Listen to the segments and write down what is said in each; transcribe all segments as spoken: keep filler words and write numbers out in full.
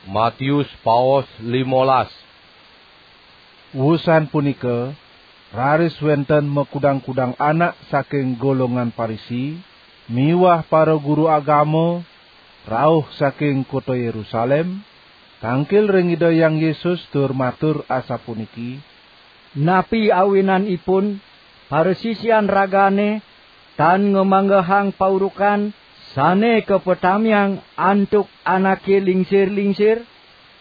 Matius paos limolas. Wusan punika, raris wenten makudang-kudang anak saking golongan Parisi miwah para guru agama rauh saking kota Yerusalem, tangkil ring Ida Hyang Yesus tur matur asapuniki: "Napi awinanipun parasisian ragane tan ngamanggehang paurukan sane kapatamiang antuk anake lingsir-lingsir?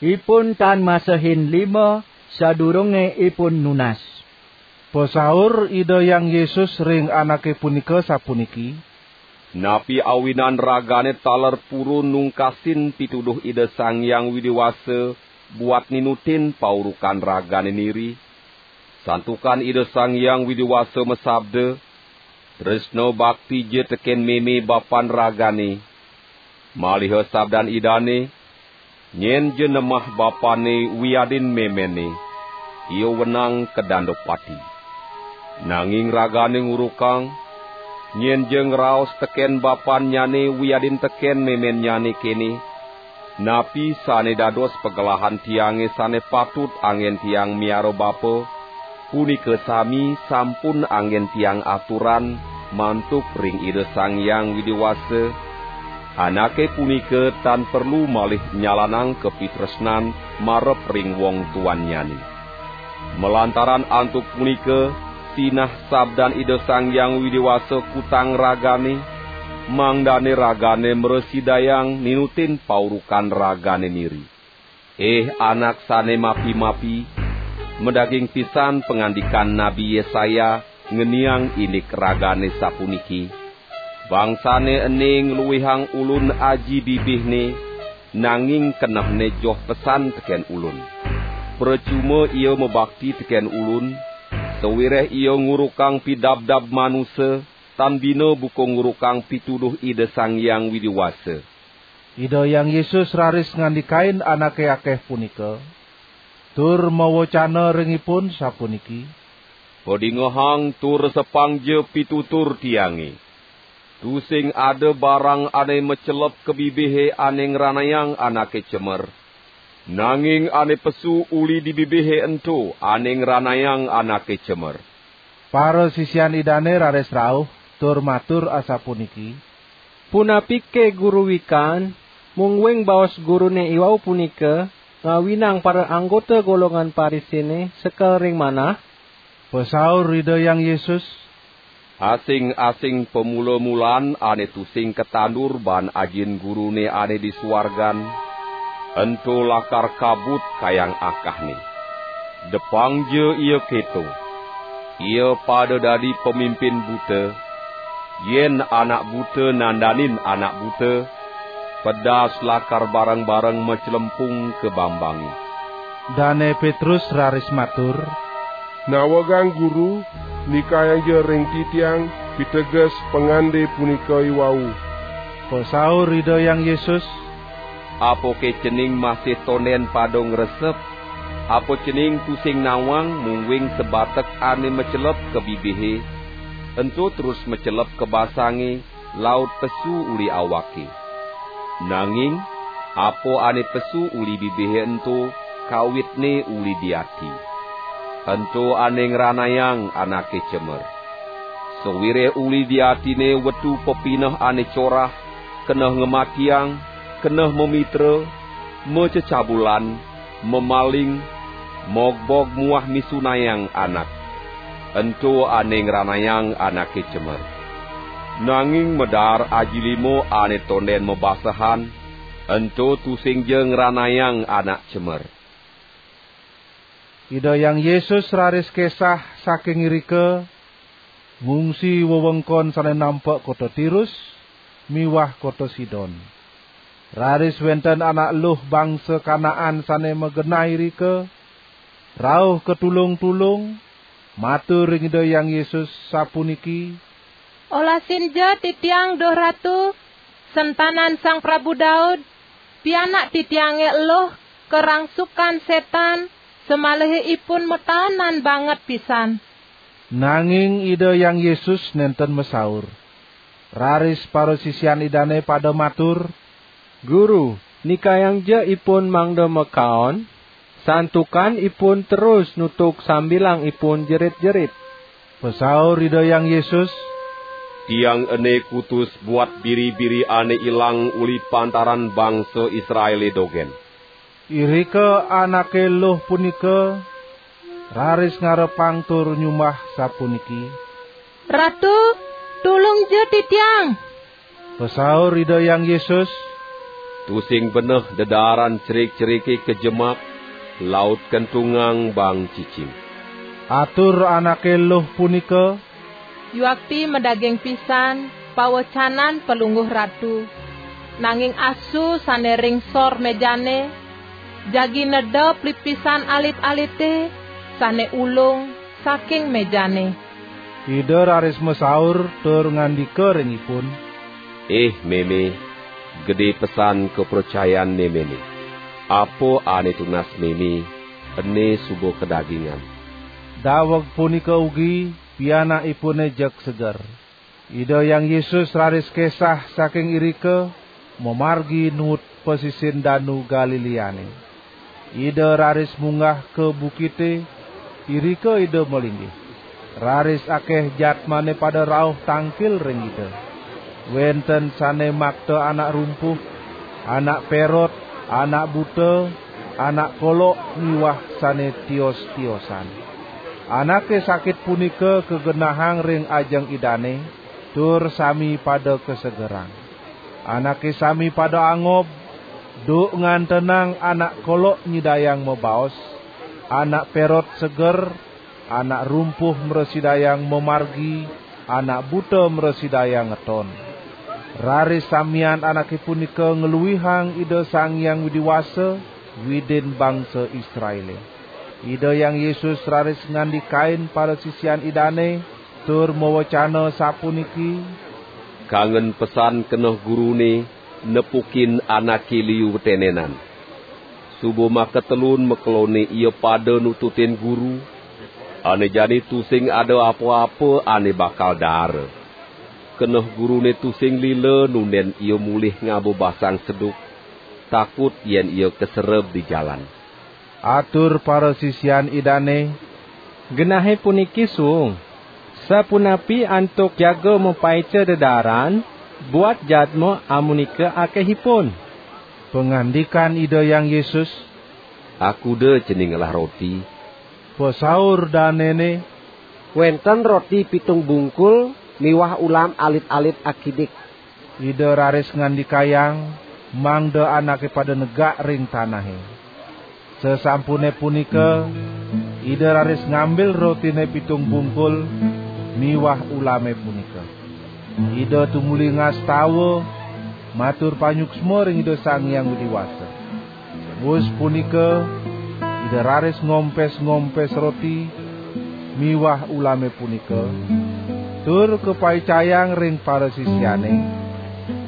Ipun tan masehin lima sadurunge ipun nunas." Pasaur Ida Hyang Yesus ring anake punika sapuniki: "Napi awinan ragane taler purun nungkasin pituduh Ida Sang Hyang Widi Wasa buat ninutin paurukan ragane niri? Santukan Ida Sang Hyang Widi Wasa masabda, 'Tresna baktija teken meme bapan ragane.' Maliha sabdan Idane, 'Nyenja nemah bapane wiadin memenne, ia wenang kadanda pati.' Nanging ragane ngurukang, nyenja ngraos teken bapannyane wiadin teken memennyane kene: 'Napi sane dados pagelahan tiange sane patut anggen tiang miara bapa, punika sami sampun anggen tiang aturang mantuk ring Ida Sang Hyang Widi Wasa,' anake punika tan perlu malih nyalanang kapitresnan marep ring wong tuannyane. Malantaran antuk punika, sinah sabdan Ida Sang Hyang Widi Wasa kutang ragane, mangdane ragane mrasidayang ninutin paurukan ragane niri. Ih anak sane mapi-mapi, madaging pisan pangandikan Nabi Yesaya ngeniang indik ragane sapuniki: 'Bangsane ene ngluihang Ulun aji bibihne, nanging kenehne joh pesan teken Ulun. Pracuma ia mabakti teken Ulun, sawireh ia ngurukang pidabdab manusa, tan bina buka ngurukang pituduh Ida Sang Hyang Widi Wasa.'" Ida Hyang Yesus raris ngandikain anake akeh punika, tur mawecana ring ipun sapuniki: "Padingehang tur resepangja pitutur Tiange. Tusing ada barang ane macelep ka bibihe ane ngranayang anake cemer, nanging ane pesu uli di bibihe ento ane ngranayang anake cemer." Parasisian Idane raris rauh tur matur asapuniki: "Punapike Guru wikan, mungguing baos Gurune iwau punika ngawinang para anggota golongan Parisine sekel ring manah?" Pasaur Ida Hyang Yesus: "Asing-asing pamula-mulan ane tusing katandur baan Ajin Gurune ane di suargan, ento lakar kabut kayang akahne. Depangja ia keto. Ia pada dadi pamimpin buta, yen anak buta nandanin anak buta, pedas lakar bareng-bareng maclempung ka bambange." Dane Petrus raris matur: "Nawegang Guru, nikayangja ring titiang piteges pangande punika iwau." Pasaur Ida Hyang Yesus: "Apake cening masih tonden pada ngresep? Apa cening tusing nawang mungguing sabatek ane macelep ka bibihe, ento terus macelep ka basange, laut pesu uli awake? Nanging apa ane pesu uli bibihe ento, kawitne uli di ati. Ento ane ngranayang anake cemer. Sawireh uli di atine wetu pepineh ane corah, keneh ngamatiang, keneh mamitra, macecabulan, mamaling, mogbog muah misunayang anak. Ento ane ngranayang anake cemer. Nanging madaar aji lima ane tonden mabasehan, ento tusingja ngranayang anak cemer." Ida Hyang Yesus raris kesah saking irika, ngungsi wewengkon sane nampek kota Tirus miwah kota Sidon. Raris wenten anak eluh bangsa Kanaan sane magenah irika, rauh katulung-tulung, matur ring Ida Hyang Yesus sapuniki: "Olasinja titiang, duh Ratu, sentanan Sang Prabu Daud, pianak titiange eluh karangsukan setan, samalihe ipun mataenan banget pisan." Nanging Ida Hyang Yesus nenten masaur. Raris parasisian Idane pada matur: "Guru, Nikayangja ipun mangda makaon, santukan ipun terus nutug sambilangipun jerit-jerit. Pasaur Ida Hyang Yesus, "Tiang ene kutus buat biri-biri ane ilang uli pantaran bangsa Israele dogen." Irika anake luh punika raris ngarepang tur nyumbah sapuniki, "Ratu, tulungja titiang!" Pasaur Ida Hyang Yesus, "Tusing beneh dedaaran cerik-cerike kajemak, laut kentungang bang cicing." Atur anake luh punika, "Yuakti madaging pisan pawecanan Palungguh Ratu, nanging asu sane ring sor mejane, jagi nedep lipisan alit-alite sane ulung saking mejane." Ida raris masaur tur ngandika ring ipun, "Ih meme, gede pesan kapracayan memene. Apa ane tunas meme, ene suba kadagingan." Daweg punika ugi pianakipune jeg seger. Ida Hyang Yesus raris kesah saking irika, mamargi nuut pasisin Danu Galileane. Ida raris munggah ka bukite, irika Ida malinggih. Raris akeh jadmane pada rauh tangkil ring Ida. Wenten sane makta anak rumpuh, anak perot, anak buta, anak kolok miwah sane tios-tiosan. Anake sakit punika kagenahang ring ajeng Idane, tur sami pada kasegerang. Anake sami pada angob, duk ngantenang anak kolok nyidayang mabaos, anak perot seger, anak rumpuh mrasidayang mamargi, anak buta mrasidayang ngeton. Raris samian anake punika ngluihang Ida Sang Hyang Widi Wasa, Widin bangsa Israele. Ida Hyang Yesus raris ngandikain parasisian Idane, tur mawecana sapuniki, "Kangen pesan keneh Gurune nepukin anake liu wetenenan. Suba makatelun makelone ia pada nututin Guru, ane jani tusing ada apa-apa ane bakal daara. Keneh Gurune tusing lila nunden ia mulih ngaba basang seduk, takut yen ia kasereb di jalan." Atur parasisian Idane, "Genahe puniki suung. Sapunapi antuk jaga mapaica dedaaran buat jadma amunika akehipun?" Pangandikan Ida Hyang Yesus, "Akuda cening ngelah roti." Pasaur danene, "Wenten roti pitung bungkul miwah ulam alit-alit akidik." Ida raris ngandikayang, mangda anake pada negak ring tanahe. Sasampune punika, Ida raris ngambil rotine pitung bungkul miwah ulame punika. Ida tumuli ngastawa, matur panyuksma ring Ida Sang Hyang Widi Wasa. Wus punika, Ida raris ngompes-ngompes roti miwah ulame punika, tur kapaicayang ring parasisiane,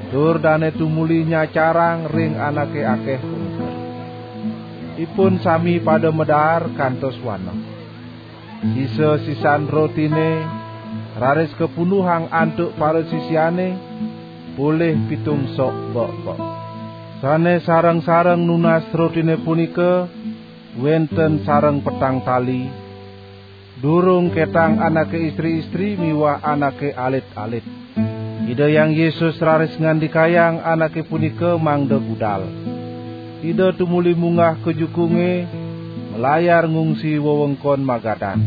tur dane tumuli nyacarang ring anake akeh punika. Ipun sami pada madaar kantos waneh. Sisa-sisan rotine raris kapunduhang antuk parasisiane, polih pitung sok bekbek. Sane sareng-sareng nunas rotine punika wenten sareng petang tali, durung ketang anake istri-istri miwah anake alit-alit. Ida Hyang Yesus raris ngandikayang anake punika mangda budal. Ida tumuli munggah ka jukunge, malayar ngungsi wewengkon Magadan.